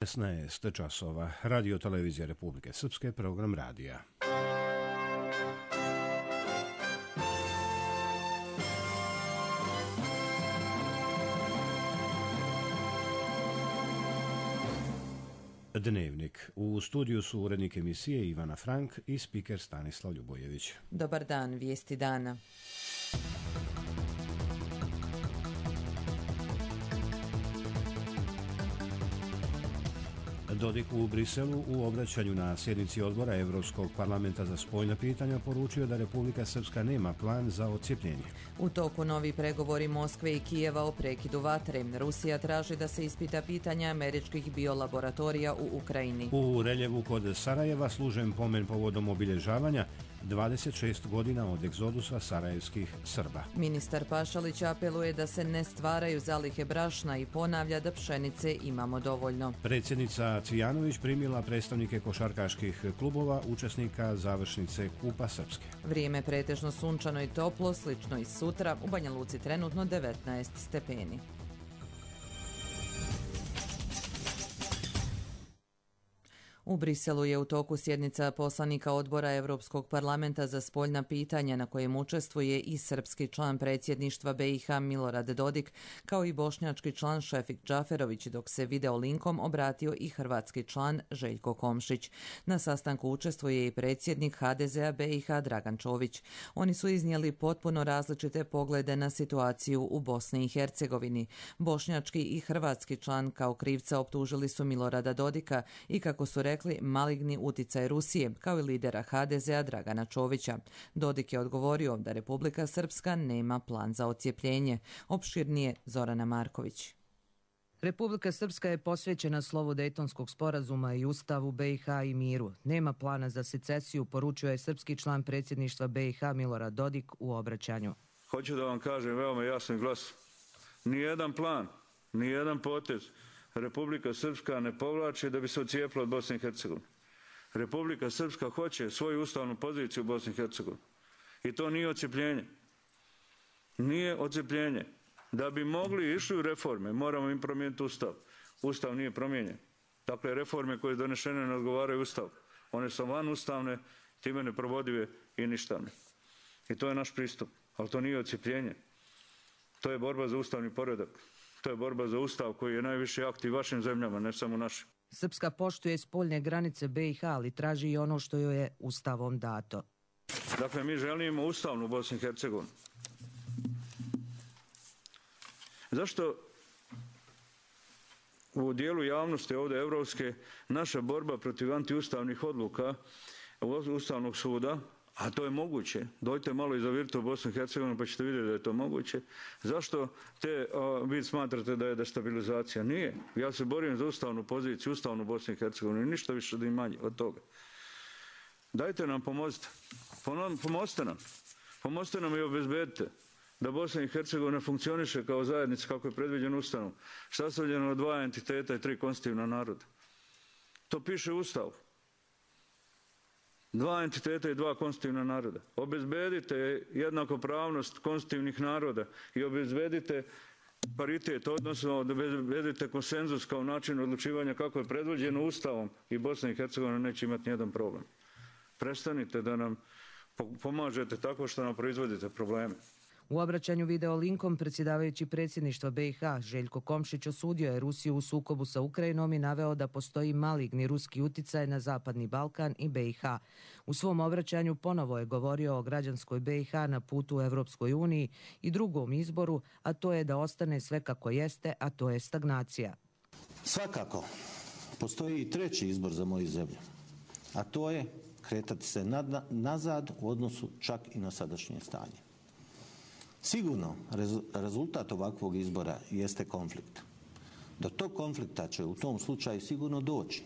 16 časova. Radio Televizija Republike Srpske, program radija. Dnevnik. U studiju su urednik emisije Ivana Frank i spiker Stanislav Ljubojević. Dobar dan, vijesti dana. Dodik u Briselu u obraćanju na sjednici odbora Evropskog parlamenta za spoljna pitanja poručio da Republika Srpska nema plan za odcijepljenje. U toku novi pregovori Moskve i Kijeva o prekidu vatre. Rusija traži da se ispita pitanja američkih biolaboratorija u Ukrajini. U Reljevu kod Sarajeva služen pomen povodom obilježavanja 26 godina od egzodusa sarajevskih Srba. Ministar Pašalić apeluje da se ne stvaraju zalihe brašna i ponavlja da pšenice imamo dovoljno. Predsjednica Cvijanović primila predstavnike košarkaških klubova, učesnika završnice Kupa Srpske. Vrijeme pretežno sunčano i toplo, slično i sutra, u Banja Luci trenutno 19 stepeni. U Briselu je u toku sjednica poslanika odbora Evropskog parlamenta za spoljna pitanja na kojem učestvuje i srpski član predsjedništva BiH Milorad Dodik, kao i bošnjački član Šefik Džaferović, dok se video linkom obratio i hrvatski član Željko Komšić. Na sastanku učestvuje i predsjednik HDZ-a BiH Dragan Čović. Oni su iznijeli potpuno različite poglede na situaciju u Bosni i Hercegovini. Bošnjački i hrvatski član kao krivca optužili su Milorada Dodika i, kako su rekli, maligni uticaj Rusije, kao i lidera HDZ-a Dragana Čovića. Dodik je odgovorio da Republika Srpska nema plan za odcijepljenje. Opširnije Zorana Marković. Republika Srpska je posvećena slovu Dejtonskog sporazuma i Ustavu BiH i miru. Nema plana za secesiju, poručio je srpski član predsjedništva BiH Milorad Dodik u obraćanju. Hoću da vam kažem veoma jasno i glasno. Nijedan plan, nijedan potez Republika Srpska ne povlači da bi se odcijepila od Bosne i Hercegovine. Republika Srpska hoće svoju ustavnu poziciju u Bosni i Hercegovini. I to nije odcijepljenje. Nije odcijepljenje. Da bi mogli išli u reforme, moramo im promijeniti Ustav. Ustav nije promijenjen. Dakle, reforme koje su donešene ne odgovaraju Ustavu. One su vanustavne, time neprovodive i ništavne. I to je naš pristup. Ali to nije odcijepljenje. To je borba za ustavni poredak. To je borba za Ustav koji je najviše aktiv vašim zemljama, ne samo našim. Srpska poštuje spoljne granice BiH, ali traži i ono što joj je Ustavom dato. Dakle, mi želimo ustavnu Bosnu i Hercegovinu. Zašto u dijelu javnosti ovdje evropske naša borba protiv antiustavnih odluka Ustavnog suda, a to je moguće, dojte malo i zavirite u Bosnu i Hercegovinu pa ćete vidjeti da je to moguće. Zašto vi smatrate da je destabilizacija? Nije. Ja se borim za ustavnu poziciju, ustavnu Bosnu i Hercegovinu i ništa više ni manje od toga. Dajte nam, pomozite. Pomozite nam i obezbedite da Bosna i Hercegovina funkcioniše kao zajednica kako je predviđeno Ustavom, sastavljeno od 2 entiteta i 3 konstitutivna naroda. To piše u Ustavu. 2 entiteta i 2 konstitutivna naroda. Obezbedite jednakopravnost konstitutivnih naroda i obezbedite paritet, odnosno obezbedite konsenzus kao način odlučivanja kako je predviđeno Ustavom i Bosna i Hercegovina neće imati nijedan problem. Prestanite da nam pomažete tako što nam proizvodite probleme. U obraćanju video linkom predsjedavajući predsjedništva BiH Željko Komšić osudio je Rusiju u sukobu sa Ukrajinom i naveo da postoji maligni ruski uticaj na Zapadni Balkan i BiH. U svom obraćanju ponovo je govorio o građanskoj BiH na putu u Evropskoj uniji i drugom izboru, a to je da ostane sve kako jeste, a to je stagnacija. Svakako, postoji i treći izbor za moju zemlju, a to je kretati se nazad u odnosu čak i na sadašnje stanje. Sigurno, rezultat ovakvog izbora jeste konflikt. Do tog konflikta će u tom slučaju sigurno doći.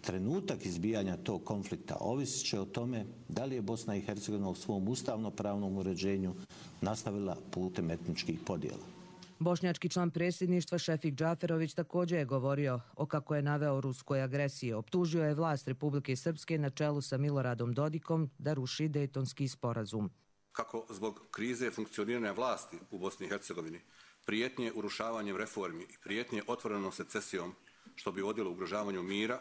Trenutak izbijanja tog konflikta ovisit će o tome da li je Bosna i Hercegovina u svom ustavno-pravnom uređenju nastavila putem etničkih podjela. Bošnjački član predsjedništva Šefik Džaferović također je govorio o, kako je naveo, ruskoj agresiji. Optužio je vlast Republike Srpske na čelu sa Miloradom Dodikom da ruši Dejtonski sporazum. Kako zbog krize funkcioniranja vlasti u Bosni i Hercegovini, prijetnje urušavanjem reformi i prijetnje otvorenom secesijom što bi vodilo ugrožavanju mira,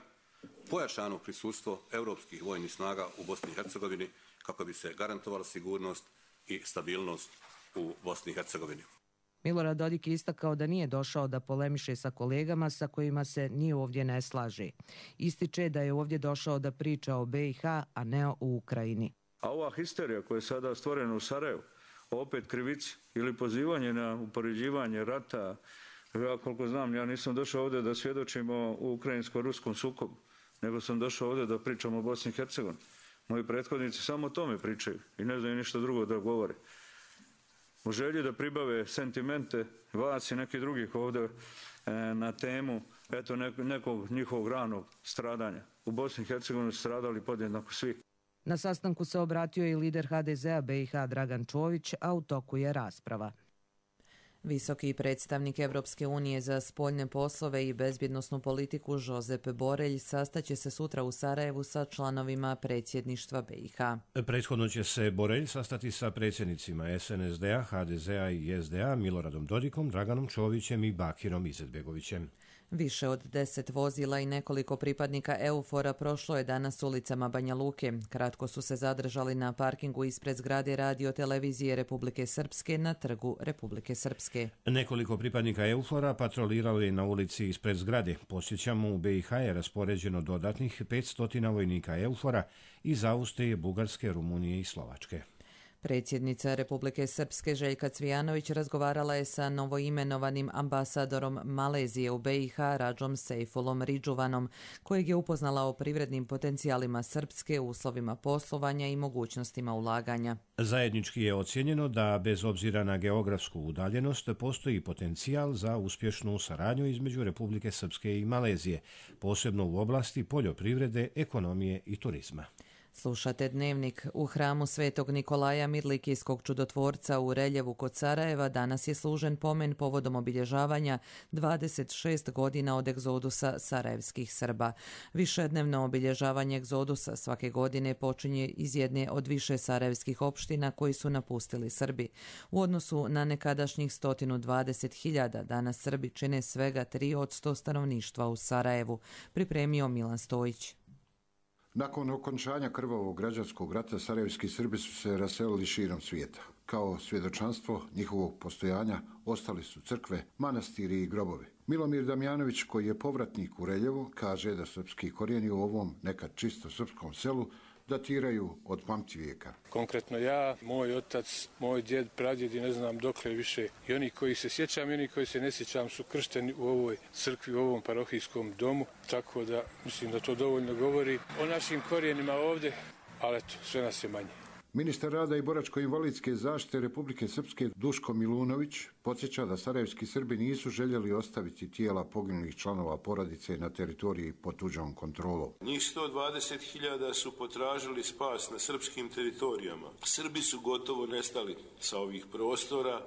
pojačano prisustvo europskih vojnih snaga u Bosni i Hercegovini kako bi se garantovala sigurnost i stabilnost u Bosni i Hercegovini. Milorad Dodik je istakao da nije došao da polemiše sa kolegama sa kojima se ni ovdje ne slaže. Ističe da je ovdje došao da priča o BiH, a ne o Ukrajini. A ova histerija koja je sada stvorena u Sarajevu, opet krivici ili pozivanje na upoređivanje rata, ja koliko znam, ja nisam došao ovdje da svjedočimo u ukrajinsko-ruskom sukobu, nego sam došao ovdje da pričamo o Bosni i Hercegovini. Moji prethodnici samo o tome pričaju i ne znaju ništa drugo da govore. U želji da pribave sentimente vas i nekih drugih ovdje na temu nekog njihovog ranog stradanja. U Bosni i Hercegovini su stradali podjednako svi. Na sastanku se obratio i lider HDZ-a BiH Dragan Čović, a u toku je rasprava. Visoki predstavnik Evropske unije za spoljne poslove i bezbjednosnu politiku Žozep Borelj sastaće se sutra u Sarajevu sa članovima predsjedništva BiH. Prethodno će se Borelj sastati sa predsjednicima SNSD-a, HDZ-a i SDA Miloradom Dodikom, Draganom Čovićem i Bakirom Izetbegovićem. Više od 10 vozila i nekoliko pripadnika EUFOR-a prošlo je danas ulicama Banja Luke. Kratko su se zadržali na parkingu ispred zgrade Radio-televizije Republike Srpske na trgu Republike Srpske. Nekoliko pripadnika EUFOR-a patroliralo je na ulici ispred zgrade. Podsjećamo, u BiH je raspoređeno dodatnih 500 vojnika EUFOR-a iz Austrije, Bugarske, Rumunije i Slovačke. Predsjednica Republike Srpske Željka Cvijanović razgovarala je sa novoimenovanim ambasadorom Malezije u BiH Radžom Sejfulom Ridžuvanom, kojeg je upoznala o privrednim potencijalima Srpske, uslovima poslovanja i mogućnostima ulaganja. Zajednički je ocijenjeno da, bez obzira na geografsku udaljenost, postoji potencijal za uspješnu saradnju između Republike Srpske i Malezije, posebno u oblasti poljoprivrede, ekonomije i turizma. Slušate Dnevnik. U hramu Svetog Nikolaja Mirlikijskog čudotvorca u Reljevu kod Sarajeva danas je služen pomen povodom obilježavanja 26 godina od egzodusa sarajevskih Srba. Višednevno obilježavanje egzodusa svake godine počinje iz jedne od više sarajevskih opština koji su napustili Srbi. U odnosu na nekadašnjih 120.000, danas Srbi čine svega 3% stanovništva u Sarajevu, pripremio Milan Stojić. Nakon okončanja krvavog građanskog rata, sarajevski Srbi su se raselili širom svijeta. Kao svjedočanstvo njihovog postojanja ostali su crkve, manastiri i grobovi. Milomir Damjanović, koji je povratnik u Reljevo, kaže da srpski korijeni u ovom nekad čisto srpskom selu datiraju od pamtivijeka. Konkretno ja, moj otac, moj djed, pradjed i ne znam dokle više. I oni koji se sjećam i oni koji se ne sjećam su kršteni u ovoj crkvi, u ovom parohijskom domu. Tako da mislim da to dovoljno govori o našim korijenima ovdje, ali eto, sve nas je manje. Ministar rada i boračko-invalidske zaštite Republike Srpske Duško Milunović podsjeća da sarajevski Srbi nisu željeli ostaviti tijela poginulih članova porodice na teritoriji pod tuđom kontrolom. Njih 120.000 su potražili spas na srpskim teritorijama. Srbi su gotovo nestali sa ovih prostora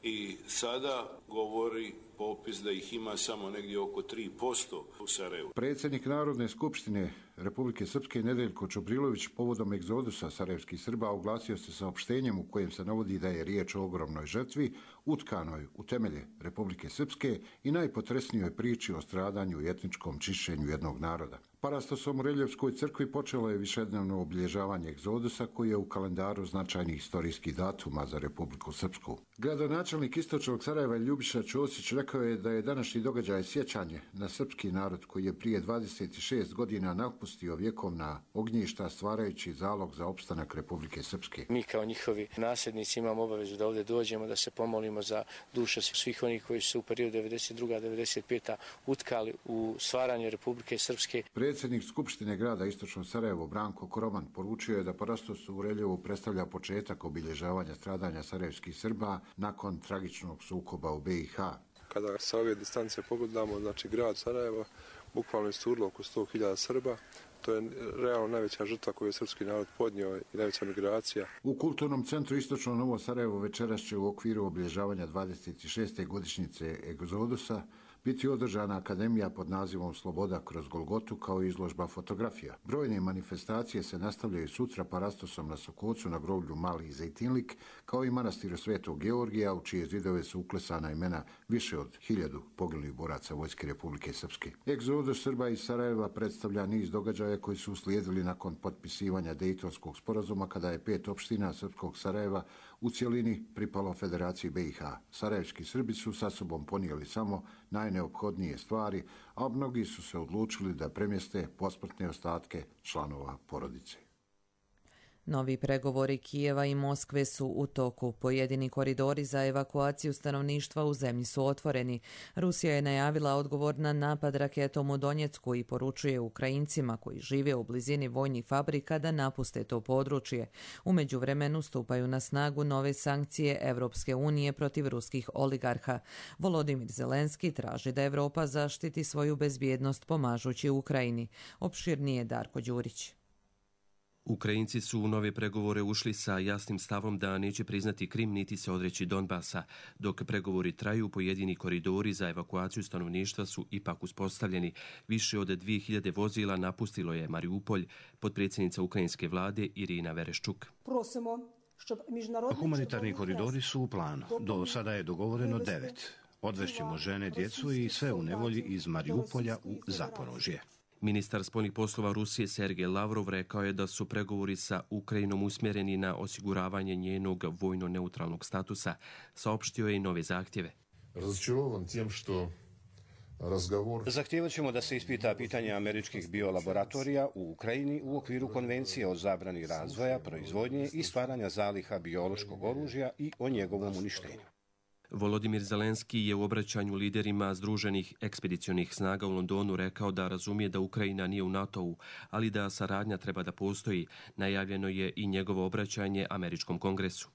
i sada govori popis da ih ima samo negdje oko 3% u Sarajevu. Predsjednik Narodne skupštine Republike Srpske Nedeljko Čobrilović povodom egzodusa sarajevskih Srba oglasio se saopštenjem u kojem se navodi da je riječ o ogromnoj žrtvi utkanoj u temelje Republike Srpske i najpotresnijoj priči o stradanju i etničkom čišćenju jednog naroda. Parastosom u Reljevskoj crkvi počelo je višednevno obilježavanje egzodusa koji je u kalendaru značajnih historijskih datuma za Republiku Srpsku. Gradonačelnik istočnog Sarajeva Ljubiša Ćosić rekao je da je današnji događaj sjećanje na srpski narod koji je prije 26 godina napustio vjekovna ognjišta stvarajući zalog za opstanak Republike Srpske. Mi kao njihovi nasljednici imamo obavezu da ovdje dođemo, da se pomolimo za duše svih onih koji su u periodu 92-95 utkali u stvaranje Republike Srpske. Predsjednik Skupštine grada Istočno Sarajevo Branko Koroman poručio je da Parastos u Reljevu predstavlja početak obilježavanja stradanja sarajevskih Srba nakon tragičnog sukoba u BiH. Kada sa ove distance pogledamo, znači grad Sarajevo bukvalno isturilo oko 100.000 Srba. To je realno najveća žrtva koju je srpski narod podnio i najveća migracija. U Kulturnom centru Istočno Novo Sarajevo večeras će u okviru obilježavanja 26. godišnjice egzodusa biti održana akademija pod nazivom Sloboda kroz Golgotu kao izložba fotografija. Brojne manifestacije se nastavljaju sutra parastosom na Sokocu na groblju Mali Zejtinlik, kao i manastiru Svetog Georgija, u čije zidove su uklesana imena više od 1000 poginulih boraca Vojske Republike Srpske. Egzodus Srba iz Sarajeva predstavlja niz događaja koji su uslijedili nakon potpisivanja Dejtonskog sporazuma, kada je 5 opština srpskog Sarajeva u cjelini pripalo Federaciji BiH. Sarajevski Srbi su sa sobom ponijeli samo najneophodnije stvari, a mnogi su se odlučili da premjeste posmrtne ostatke članova porodice. Novi pregovori Kijeva i Moskve su u toku. Pojedini koridori za evakuaciju stanovništva u zemlji su otvoreni. Rusija je najavila odgovor na napad raketom u Donjecku i poručuje Ukrajincima koji žive u blizini vojnih fabrika da napuste to područje. U međuvremenu stupaju na snagu nove sankcije Evropske unije protiv ruskih oligarha. Volodimir Zelenski traži da Evropa zaštiti svoju bezbjednost pomažući Ukrajini. Opširnije Darko Đurić. Ukrajinci su u nove pregovore ušli sa jasnim stavom da neće priznati Krim niti se odreći Donbasa. Dok pregovori traju, pojedini koridori za evakuaciju stanovništva su ipak uspostavljeni. Više od 2000 vozila napustilo je Mariupolj, potpredsjednica ukrajinske vlade Irina Vereščuk. Humanitarni koridori su u planu. Do sada je dogovoreno 9. Odvešćemo žene, djecu i sve u nevolji iz Mariupolja u Zaporožje. Ministar spoljnih poslova Rusije Sergej Lavrov rekao je da su pregovori sa Ukrajinom usmjereni na osiguravanje njenog vojno-neutralnog statusa. Saopštio je i nove zahtjeve. Zahtijevat ćemo da se ispita pitanje američkih biolaboratorija u Ukrajini u okviru konvencije o zabrani razvoja, proizvodnje i stvaranja zaliha biološkog oružja i o njegovom uništenju. Volodimir Zelenski je u obraćanju liderima Združenih ekspedicionih snaga u Londonu rekao da razumije da Ukrajina nije u NATO-u, ali da saradnja treba da postoji. Najavljeno je i njegovo obraćanje Američkom kongresu.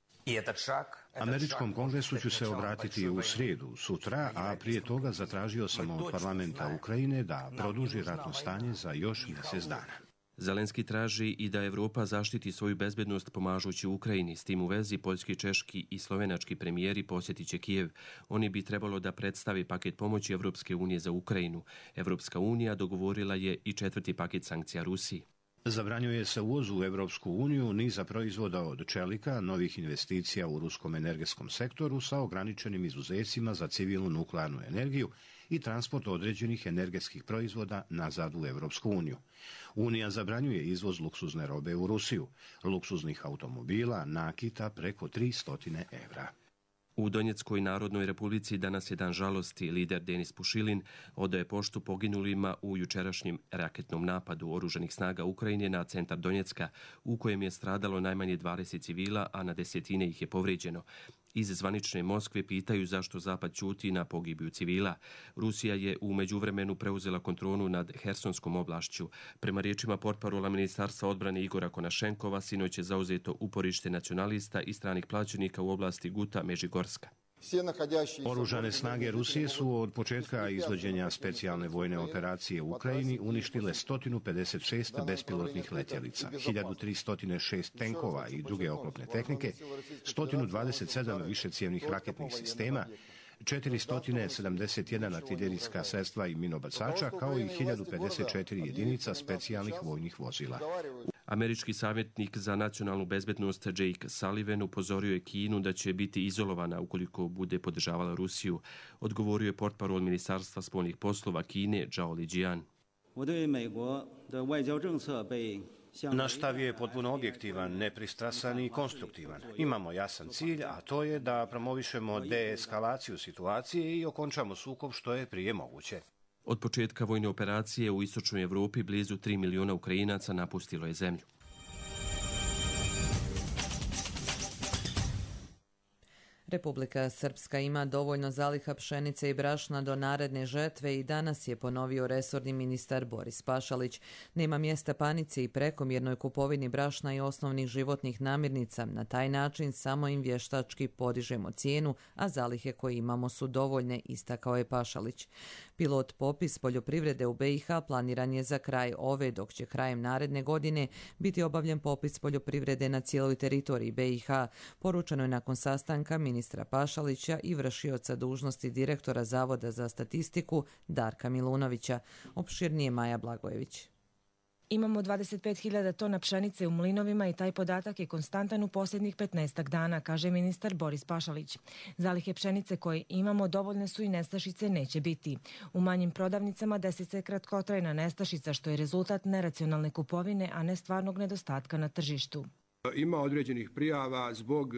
Američkom kongresu ću se obratiti u srijedu, sutra, a prije toga zatražio sam od parlamenta Ukrajine da produži ratno stanje za još mjesec dana. Zelenski traži i da Evropa zaštiti svoju bezbednost pomažući Ukrajini. S tim u vezi poljski, češki i slovenački premijeri posjetit će Kijev. Oni bi trebalo da predstavi paket pomoći Evropske unije za Ukrajinu. Evropska unija dogovorila je i 4. paket sankcija Rusiji. Zabranjuje se uvoz u Evropsku uniju niza proizvoda od čelika, novih investicija u ruskom energetskom sektoru sa ograničenim izuzecima za civilnu nuklearnu energiju i transport određenih energetskih proizvoda nazad u Evropsku uniju. Unija zabranjuje izvoz luksuzne robe u Rusiju, luksuznih automobila, nakita preko 300 evra. U Donjeckoj Narodnoj Republici danas je dan žalosti. Lider Denis Pušilin odaje poštu poginulima u jučerašnjem raketnom napadu oružanih snaga Ukrajine na centar Donjecka, u kojem je stradalo najmanje 20 civila, a na desetine ih je povrijeđeno. Iz zvanične Moskve pitaju zašto Zapad ćuti na pogibiju civila. Rusija je u međuvremenu preuzela kontrolu nad Hersonskom oblašću. Prema riječima portparola Ministarstva odbrane Igora Konašenkova, sinoć je zauzeto uporište nacionalista i stranih plaćenika u oblasti Guta Međigorska. Oružane snage Rusije su od početka izvođenja specijalne vojne operacije u Ukrajini uništile 156 bespilotnih letjelica, 1306 tenkova i druge oklopne tehnike, 127 višecijevnih raketnih sistema, 471 artiljerijska sredstva i minobacača, kao i 1054 jedinica specijalnih vojnih vozila. Američki savjetnik za nacionalnu bezbednost Jake Sullivan upozorio je Kinu da će biti izolovana ukoliko bude podržavala Rusiju. Odgovorio je portparol Ministarstva spoljnih poslova Kine Zhao Lijian. Naš stav je potpuno objektivan, nepristrasan i konstruktivan. Imamo jasan cilj, a to je da promovišemo deeskalaciju situacije i okončamo sukob što je prije moguće. Od početka vojne operacije u istočnoj Evropi blizu 3 miliona Ukrajinaca napustilo je zemlju. Republika Srpska ima dovoljno zaliha pšenice i brašna do naredne žetve i danas je ponovio resorni ministar Boris Pašalić. Nema mjesta panici i prekomjernoj kupovini brašna i osnovnih životnih namirnica. Na taj način samo im vještački podižemo cijenu, a zalihe koje imamo su dovoljne, istakao je Pašalić. Pilot popis poljoprivrede u BiH planiran je za kraj ove, dok će krajem naredne godine biti obavljen popis poljoprivrede na cijeloj teritoriji BiH, poručeno je nakon sastanka ministra Pašalića i vršioca dužnosti direktora Zavoda za statistiku Darka Milunovića. Opširnije Maja Blagojević. Imamo 25.000 tona pšenice u mlinovima i taj podatak je konstantan u posljednjih 15 dana, kaže ministar Boris Pašalić. Zalihe pšenice koje imamo dovoljne su i nestašice neće biti. U manjim prodavnicama desi se kratkotrajna nestašica, što je rezultat neracionalne kupovine, a ne stvarnog nedostatka na tržištu. Ima određenih prijava zbog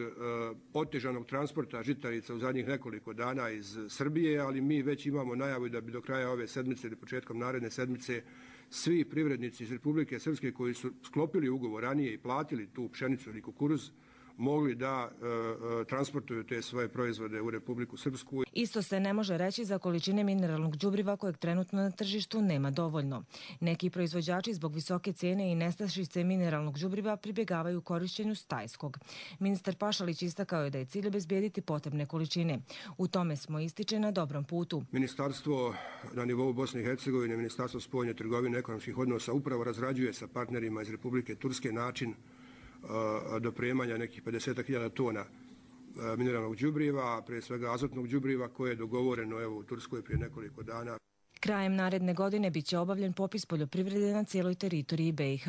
otežanog transporta žitarica u zadnjih nekoliko dana iz Srbije, ali mi već imamo najavu da bi do kraja ove sedmice ili početkom naredne sedmice svi privrednici iz Republike Srpske koji su sklopili ugovor ranije i platili tu pšenicu ili kukuruz mogli da transportuju te svoje proizvode u Republiku Srpsku. Isto se ne može reći za količine mineralnog đubriva kojeg trenutno na tržištu nema dovoljno. Neki proizvođači zbog visoke cijene i nestašice mineralnog đubriva pribjegavaju korišćenju stajskog. Ministar Pašalić istakao je da je cilj obezbijediti potrebne količine. U tome smo, ističe, na dobrom putu. Ministarstvo na nivou Bosne i Hercegovine, Ministarstvo spoljne trgovine i ekonomskih odnosa upravo razrađuje sa partnerima iz Republike Turske način dopremanja nekih 50.000 tona mineralnog đubriva, prije svega azotnog đubriva, koje je dogovoreno u Turskoj prije nekoliko dana. Krajem naredne godine bit će obavljen popis poljoprivrede na cijeloj teritoriji BiH.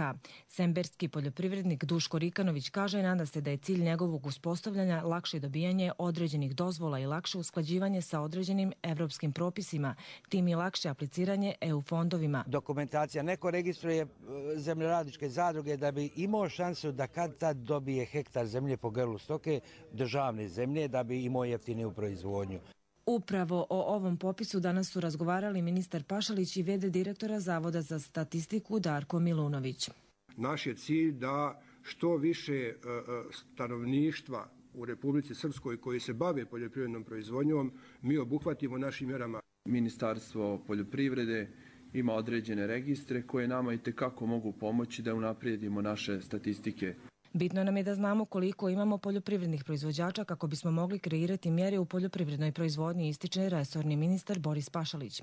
Semberski poljoprivrednik Duško Rikanović kaže, nada se da je cilj njegovog uspostavljanja lakše dobijanje određenih dozvola i lakše usklađivanje sa određenim evropskim propisima, tim i lakše apliciranje EU fondovima. Dokumentacija, neko registruje zemljoradničke zadruge da bi imao šansu da kad tad dobije hektar zemlje po grlu stoke, državne zemlje, da bi imao jeftiniju proizvodnju. Upravo o ovom popisu danas su razgovarali ministar Pašalić i v.d. direktora Zavoda za statistiku Darko Milunović. Naš je cilj da što više stanovništva u Republici Srpskoj koji se bave poljoprivrednom proizvodnjom mi obuhvatimo našim mjerama. Ministarstvo poljoprivrede ima određene registre koje nama itekako mogu pomoći da unaprijedimo naše statistike. Bitno nam je da znamo koliko imamo poljoprivrednih proizvođača kako bismo mogli kreirati mjere u poljoprivrednoj proizvodnji, ističe resorni ministar Boris Pašalić.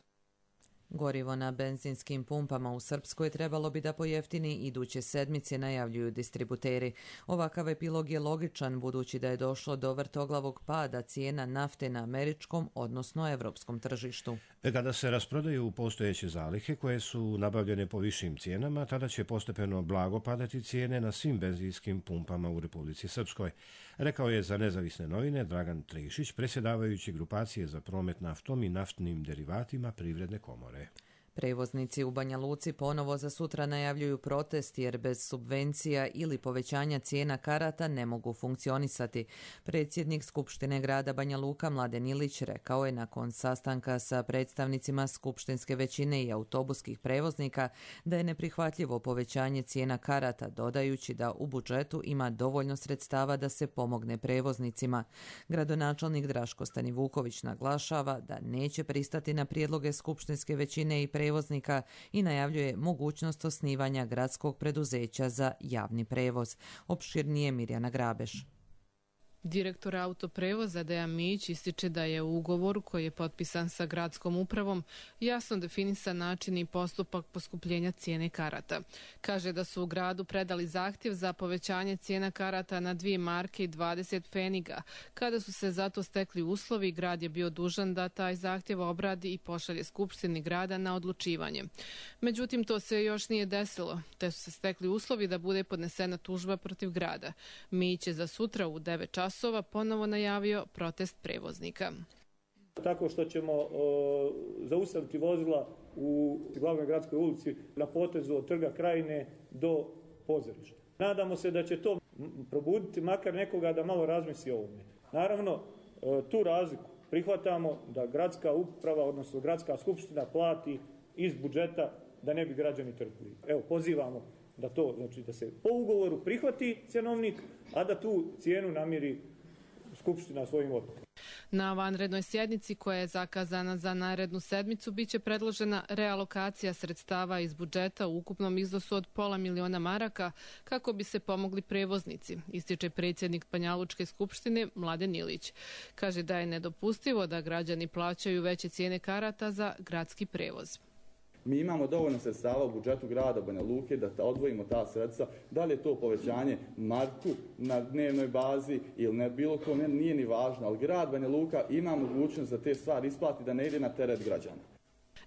Gorivo na benzinskim pumpama u Srpskoj trebalo bi da pojeftini iduće sedmice, najavljuju distributeri. Ovakav epilog je logičan budući da je došlo do vrtoglavog pada cijena nafte na američkom, odnosno evropskom tržištu. Kada se rasprodaju postojeće zalihe koje su nabavljene po višim cijenama, tada će postepeno blago padati cijene na svim benzinskim pumpama u Republici Srpskoj, rekao je za Nezavisne novine Dragan Trišić, predsjedavajući grupacije za promet naftom i naftnim derivatima Privredne komore. Prevoznici u Banja Luci ponovo za sutra najavljuju protest jer bez subvencija ili povećanja cijena karata ne mogu funkcionisati. Predsjednik Skupštine grada Banja Luka Mladen Ilić rekao je nakon sastanka sa predstavnicima skupštinske većine i autobuskih prevoznika da je neprihvatljivo povećanje cijena karata, dodajući da u budžetu ima dovoljno sredstava da se pomogne prevoznicima. Gradonačelnik Draško Stanivuković naglašava da neće pristati na prijedloge skupštinske većine i prevoznika i najavljuje mogućnost osnivanja gradskog preduzeća za javni prevoz. Opširnije Mirjana Grabeš. Direktor autoprevoza Dejan Mijić ističe da je u ugovoru koji je potpisan sa gradskom upravom jasno definisan način i postupak poskupljenja cijene karata. Kaže da su u gradu predali zahtjev za povećanje cijena karata na 2 marke i 20 pfeniga. Kada su se zato stekli uslovi, grad je bio dužan da taj zahtjev obradi i pošalje Skupštini grada na odlučivanje. Međutim, to se još nije desilo, te su se stekli uslovi da bude podnesena tužba protiv grada. Mijić je za sutra u 9 časova ponovo najavio protest prevoznika. Tako što ćemo zaustaviti vozila u glavnoj gradskoj ulici na potezu od Trga Krajine do pozorišta. Nadamo se da će to probuditi makar nekoga da malo razmisli o ovome. Naravno, tu razliku prihvatamo da gradska uprava, odnosno gradska skupština plati iz budžeta da ne bi građani trpili. Evo, pozivamo da to, znači da se po ugovoru prihvati cjenovnik, a da tu cijenu namiri Skupština svojim odlukom. Na vanrednoj sjednici koja je zakazana za narednu sedmicu biće predložena realokacija sredstava iz budžeta u ukupnom iznosu od £500.000 maraka kako bi se pomogli prevoznici, ističe predsjednik Banjalučke skupštine Mladen Ilić. Kaže da je nedopustivo da građani plaćaju veće cijene karata za gradski prevoz. Mi imamo dovoljno sredstava u budžetu grada Banja Luke da odvojimo ta sredstva. Da li je to povećanje marku na dnevnoj bazi ili ne, bilo kome, nije ni važno, ali grad Banja Luka ima mogućnost da te stvari isplati, da ne ide na teret građana.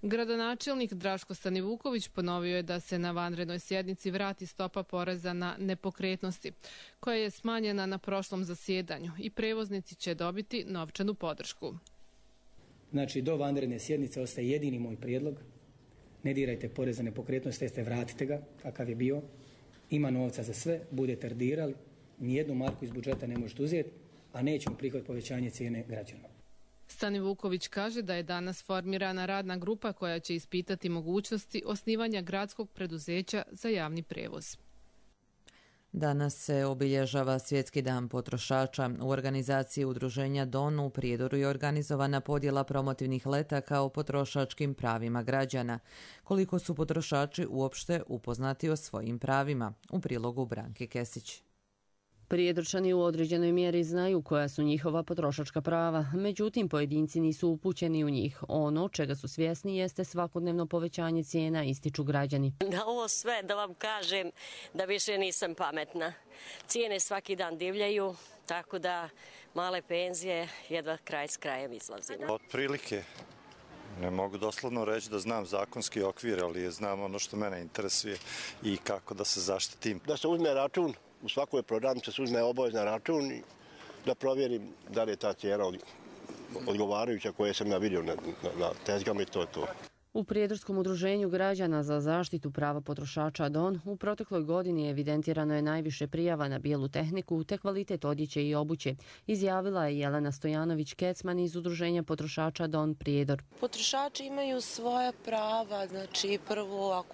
Gradonačelnik Draško Stanivuković ponovio je da se na vanrednoj sjednici vrati stopa poreza na nepokretnosti, koja je smanjena na prošlom zasjedanju i prevoznici će dobiti novčanu podršku. Znači, do vanredne sjednice ostaje jedini moj prijedlog. Ne dirajte porez na nepokretnost, jeste vratite ga, kakav je bio. Ima novca za sve, budete dirali, nijednu marku iz budžeta ne možete uzeti, a nećemo prihvatiti povećanje cijene građana. Stanivuković kaže da je danas formirana radna grupa koja će ispitati mogućnosti osnivanja gradskog preduzeća za javni prevoz. Danas se obilježava Svjetski dan potrošača. U organizaciji udruženja DON u Prijedoru je organizovana podjela promotivnih letaka o potrošačkim pravima građana. Koliko su potrošači uopšte upoznati o svojim pravima? U prilogu Branke Kesić. Prijedorčani u određenoj mjeri znaju koja su njihova potrošačka prava, međutim pojedinci nisu upućeni u njih. Ono čega su svjesni jeste svakodnevno povećanje cijena, ističu građani. Na ovo sve da vam kažem da više nisam pametna. Cijene svaki dan divljaju, tako da male penzije jedva kraj s krajem izlazimo. Otprilike ne mogu doslovno reći da znam zakonski okvir, ali znam ono što mene interesuje i kako da se zaštitim. Da se uzme račun. U svakoj prodavnici se uzme obavezan račun i da provjerim da li je ta cijena odgovarajuća koje sam ja vidio na tezgama i to je to. U Prijedorskom udruženju građana za zaštitu prava potrošača DON u protekloj godini evidentirano je najviše prijava na bijelu tehniku te kvalitet odjeće i obuće, izjavila je Jelena Stojanović-Kecman iz udruženja potrošača DON Prijedor. Potrošači imaju svoja prava, znači prvo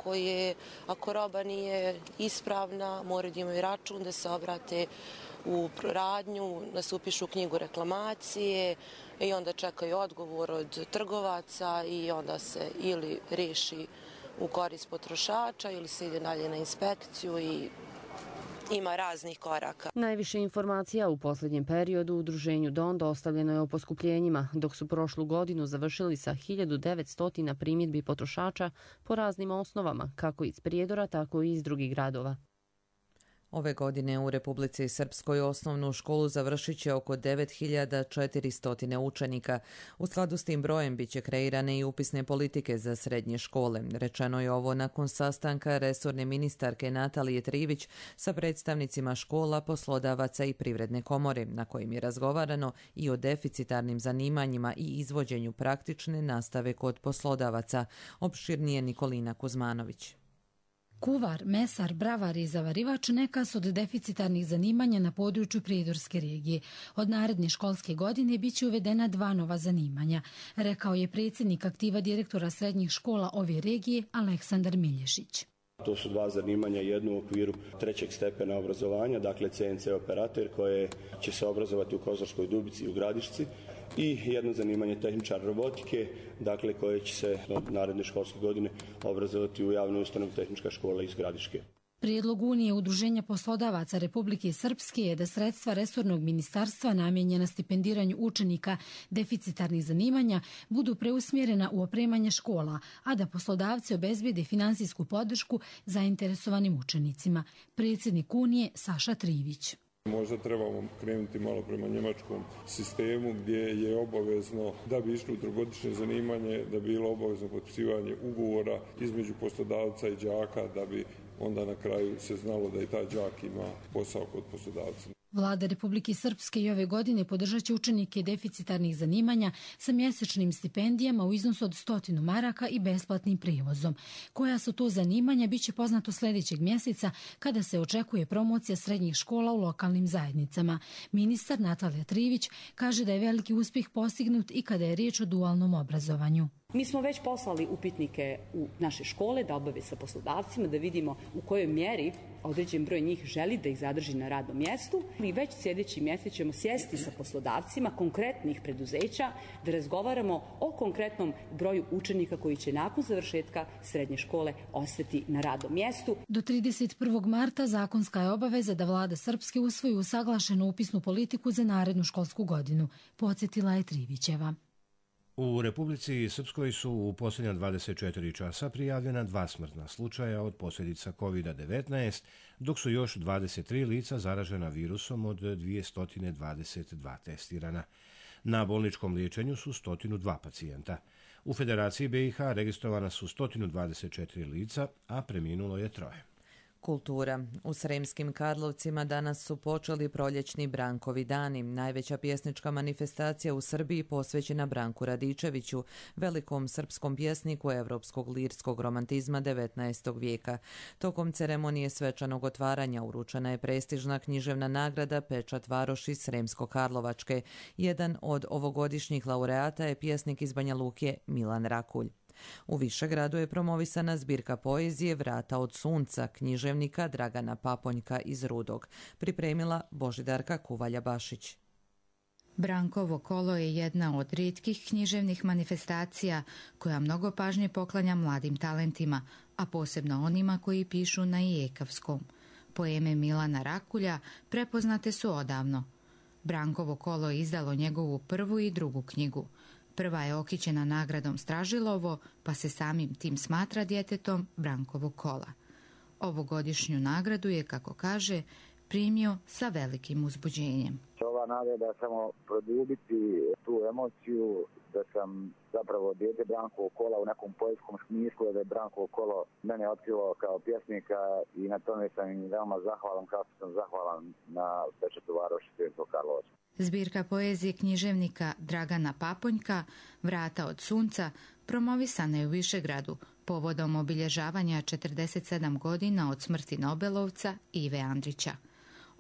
ako roba nije ispravna, moraju da imaju račun, da se obrate u radnju, da se upišu u knjigu reklamacije i onda čekaju odgovor od trgovaca i onda se ili reši u korist potrošača ili se ide dalje na inspekciju i ima raznih koraka. Najviše informacija u posljednjem periodu u udruženju DON dostavljeno je o poskupljenjima, dok su prošlu godinu završili sa 1900 primjedbi potrošača po raznim osnovama, kako iz Prijedora, tako i iz drugih gradova. Ove godine u Republici Srpskoj osnovnu školu završit će oko 9400 učenika. U skladu s tim brojem biće kreirane i upisne politike za srednje škole. Rečeno je ovo nakon sastanka resorne ministarke Natalije Trivić sa predstavnicima škola, poslodavaca i Privredne komore, na kojim je razgovarano i o deficitarnim zanimanjima i izvođenju praktične nastave kod poslodavaca. Opširnije Nikolina Kuzmanović. Kuvar, mesar, bravar i zavarivač neka su od deficitarnih zanimanja na području Prijedorske regije. Od naredne školske godine biće uvedena 2 nova zanimanja, rekao je predsjednik aktiva direktora srednjih škola ove regije Aleksandar Milješić. To su 2 zanimanja, jedno u okviru 3. stepena obrazovanja, dakle CNC operator koje će se obrazovati u Kozarskoj Dubici i u Gradišci, i jedno zanimanje tehničar robotike, dakle koje će se od naredne školske godine obrazovati u javnoj ustanovi Tehnička škola iz Gradiške. Prijedlog Unije udruženja poslodavaca Republike Srpske je da sredstva resornog ministarstva namijenjena stipendiranju učenika deficitarnih zanimanja budu preusmjerena u opremanje škola, a da poslodavci obezbijede finansijsku podršku zainteresovanim učenicima. Predsjednik Unije Saša Trivić. Možda trebamo krenuti malo prema njemačkom sistemu gdje je obavezno da bi išlo u trogodišnje zanimanje, da bi bilo obavezno potpisivanje ugovora između poslodavca i đaka, da bi onda na kraju se znalo da i taj đak ima posao kod poslodavca. Vlada Republike Srpske i ove godine podržat će učenike deficitarnih zanimanja sa mjesečnim stipendijama u iznosu od 100 maraka i besplatnim prijevozom. Koja su to zanimanja biće poznato sljedećeg mjeseca kada se očekuje promocija srednjih škola u lokalnim zajednicama. Ministar Natalija Trivić kaže da je veliki uspjeh postignut i kada je riječ o dualnom obrazovanju. Mi smo već poslali upitnike u naše škole da obave sa poslodavcima, da vidimo u kojoj mjeri određen broj njih želi da ih zadrži na radnom mjestu. I već sljedeći mjesec ćemo sjesti sa poslodavcima konkretnih preduzeća da razgovaramo o konkretnom broju učenika koji će nakon završetka srednje škole ostati na radnom mjestu. Do 31. marta zakonska je obaveza da vlada Srpske usvoji usaglašenu upisnu politiku za narednu školsku godinu, podsjetila je Trivićeva. U Republici Srpskoj su u posljednja 24 časa prijavljena 2 smrtna slučaja od posljedica COVID-19, dok su još 23 lica zaražena virusom od 222 testirana. Na bolničkom liječenju su 102 pacijenta. U Federaciji BiH registrovana su 124 lica, a preminulo je 3. Kultura. U Sremskim Karlovcima danas su počeli proljećni Brankovi dani, najveća pjesnička manifestacija u Srbiji posvećena Branku Radičeviću, velikom srpskom pjesniku evropskog lirskog romantizma 19. vijeka. Tokom ceremonije svečanog otvaranja uručena je prestižna književna nagrada Pečat varoši Sremsko-Karlovačke. Jedan od ovogodišnjih laureata je pjesnik iz Banja Luke Milan Rakulj. U Višegradu je promovisana zbirka poezije Vrata od sunca književnika Dragana Paponjka iz Rudog, pripremila Božidarka Kuvalja-Bašić. Brankovo kolo je jedna od rijetkih književnih manifestacija koja mnogo pažnje poklanja mladim talentima, a posebno onima koji pišu na ijekavskom. Poeme Milana Rakulja prepoznate su odavno. Brankovo kolo je izdalo njegovu prvu i drugu knjigu. Prva je okićena nagradom Stražilovo, pa se samim tim smatra djetetom Brankovog kola. Ovogodišnju nagradu je, kako kaže, primio sa velikim uzbuđenjem. Ova nagrada samo produbiti tu emociju da sam zapravo dijete Brankovog kola u nekom poetskom smislu, da je Brankovo kolo mene otkrilo kao pjesnika i na tome sam im veoma zahvalan, kao što sam zahvalan na Pečatu varoši Sremsko-Karlovačke. Zbirka poezije književnika Dragana Paponjka Vrata od sunca promovisana je u Višegradu povodom obilježavanja 47 godina od smrti Nobelovca Ive Andrića.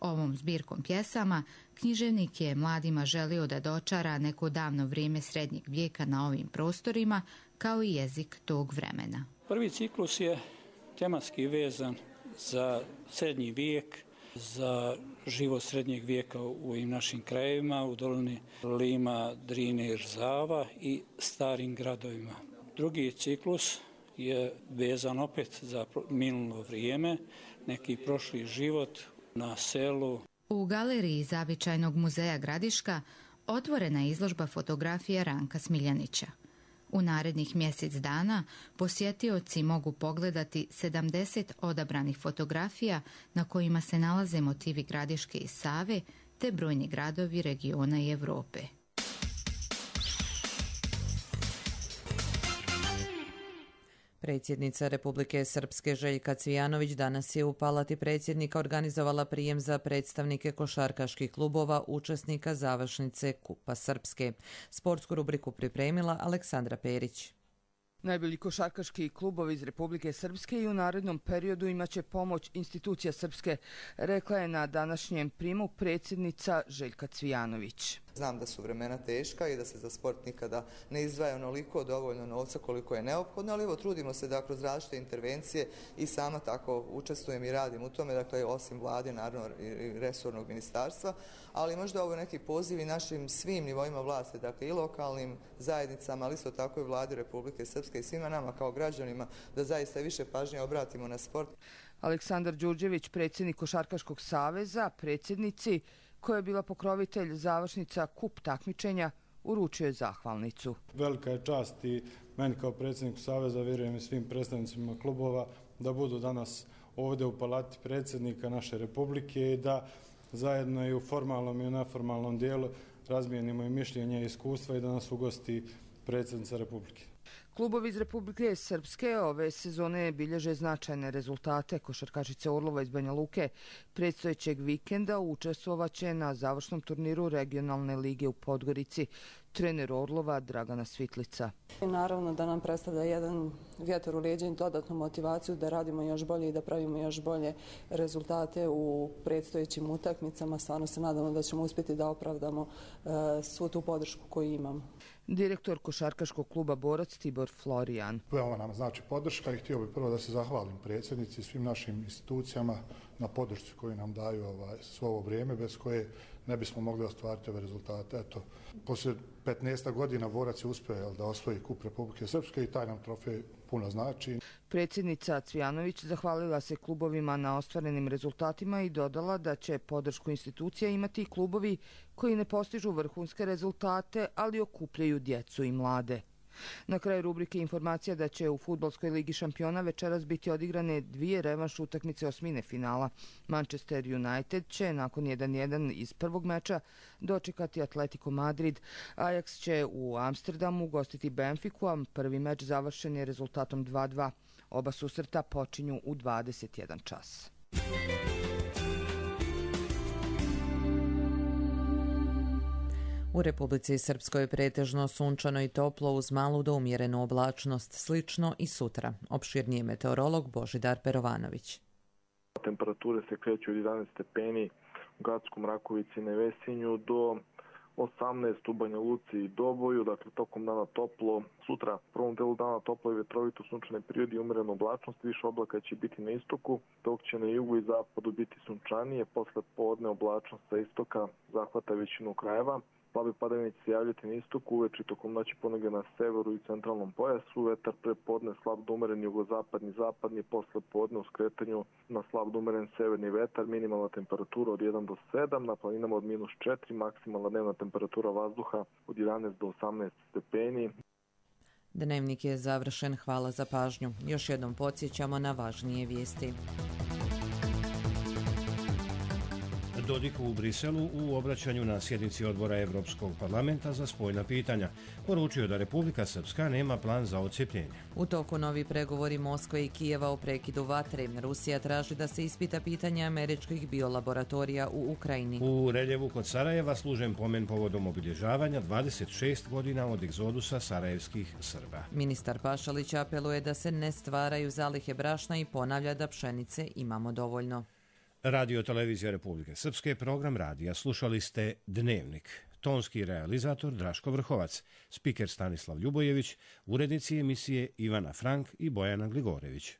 Ovom zbirkom pjesama književnik je mladima želio da dočara neko davno vrijeme srednjeg vijeka na ovim prostorima, kao i jezik tog vremena. Prvi ciklus je tematski vezan za srednji vijek, za život srednjeg vijeka u ovim našim krajevima, u dolini Lima, Drine i Rzava i starim gradovima. Drugi ciklus je vezan opet za minulo vrijeme, neki prošli život na selu. U galeriji Zavičajnog muzeja Gradiška otvorena je izložba fotografija Ranka Smiljanića. U narednih mjesec dana posjetioci mogu pogledati 70 odabranih fotografija na kojima se nalaze motivi Gradiške i Save te brojni gradovi regiona i Europe. Predsjednica Republike Srpske Željka Cvijanović danas je u Palati predsjednika organizovala prijem za predstavnike košarkaških klubova učesnika završnice Kupa Srpske. Sportsku rubriku pripremila Aleksandra Perić. Najbolji košarkaški klubovi iz Republike Srpske i u narednom periodu imaće pomoć institucija Srpske, rekla je na današnjem primu predsjednica Željka Cvijanović. Znam da su vremena teška i da se za sport nikada ne izdvaja onoliko dovoljno novca koliko je neophodno, ali evo trudimo se da kroz različite intervencije i sama tako učestvujem i radim u tome, dakle osim vlade, naravno i resornog ministarstva, ali možda ovo neki poziv i našim svim nivoima vlasti, dakle i lokalnim zajednicama, ali isto tako i vladi Republike Srpske i svima nama kao građanima da zaista više pažnje obratimo na sport. Aleksandar Đurđević, predsjednik Košarkaškog saveza, predsjednici koja je bila pokrovitelj završnica kup takmičenja, uručio je zahvalnicu. Velika je čast i meni kao predsjedniku saveza, vjerujem i svim predstavnicima klubova, da budu danas ovdje u Palati predsjednika naše Republike i da zajedno i u formalnom i u neformalnom dijelu razmijenimo i mišljenje i iskustva i da nas ugosti predsjednica Republike. Klubovi iz Republike Srpske ove sezone bilježe značajne rezultate. Košarkašice Orlova iz Banja Luke predstojećeg vikenda učestvovaće na završnom turniru regionalne lige u Podgorici. trener Orlova Dragana Svitlica. Naravno da nam predstavlja jedan vjetar u leđa i dodatnu motivaciju da radimo još bolje i da pravimo još bolje rezultate u predstojećim utakmicama. Stvarno se nadamo da ćemo uspjeti da opravdamo svu tu podršku koju imamo. Direktor košarkaškog kluba Borac Tibor Florijan. Veoma nam znači podrška i htio bih prvo da se zahvalim predsjednici i svim našim institucijama na podršci koju nam daju svo ovo vrijeme, bez koje ne bismo mogli ostvariti ove rezultate. Eto, poslije 15 godina Borac je uspio da osvoji kup Republike Srpske i taj nam trofej puno znači. Predsjednica Cvijanović zahvalila se klubovima na ostvarenim rezultatima i dodala da će podršku institucija imati i klubovi koji ne postižu vrhunske rezultate, ali okupljaju djecu i mlade. Na kraju rubrike informacija da će u Fudbalskoj ligi šampiona večeras biti odigrane 2 revanš utakmice osmine finala. Manchester United će nakon 1-1 iz prvog meča dočekati Atletico Madrid. Ajax će u Amsterdamu gostiti Benfiku, a prvi meč završen je rezultatom 2-2. Oba susreta počinju u 21 čas. U Republici Srpskoj je pretežno sunčano i toplo uz malu do umjerenu oblačnost, slično i sutra. Opširnije meteorolog Božidar Perovanović. Temperature se kreću od 11 stepeni u Gackom, Rakovici i Nevesinju do 18 u Banja Luci i Doboju, dakle tokom dana toplo. Sutra, u prvom delu dana toplo i vetrovito, sunčane periodi i umjerenu oblačnost, više oblaka će biti na istoku, dok će na jugu i zapadu biti sunčanije, posle podne oblačnost sa istoka zahvata većinu krajeva. Slabe padavine će se javljati na istoku, uveče tokom noći ponegdje na severu i centralnom pojasu, vetar pre podne slab do umeren jugozapadni, zapadni, posle podne u skretanju na slab do umeren severni vetar, minimalna temperatura od 1 do 7, na planinama od -4, maksimalna dnevna temperatura vazduha od 11 do 18 stepeni. Dnevnik je završen, hvala za pažnju. Još jednom podsjećamo na važnije vijesti. Dodik u Briselu u obraćanju na sjednici odbora Evropskog parlamenta za spoljna pitanja poručio da Republika Srpska nema plan za odcijepljenje. U toku novi pregovori Moskve i Kijeva o prekidu vatre. Rusija traži da se ispita pitanje američkih biolaboratorija u Ukrajini. U reljevu kod Sarajeva služen pomen povodom obilježavanja 26 godina od egzodusa sarajevskih Srba. Ministar Pašalić apeluje da se ne stvaraju zalihe brašna i ponavlja da pšenice imamo dovoljno. Radio Televizija Republike Srpske, program radija. Slušali ste Dnevnik. Tonski realizator Draško Vrhovac, spiker Stanislav Ljubojević, urednici emisije Ivana Frank i Bojana Gligorević.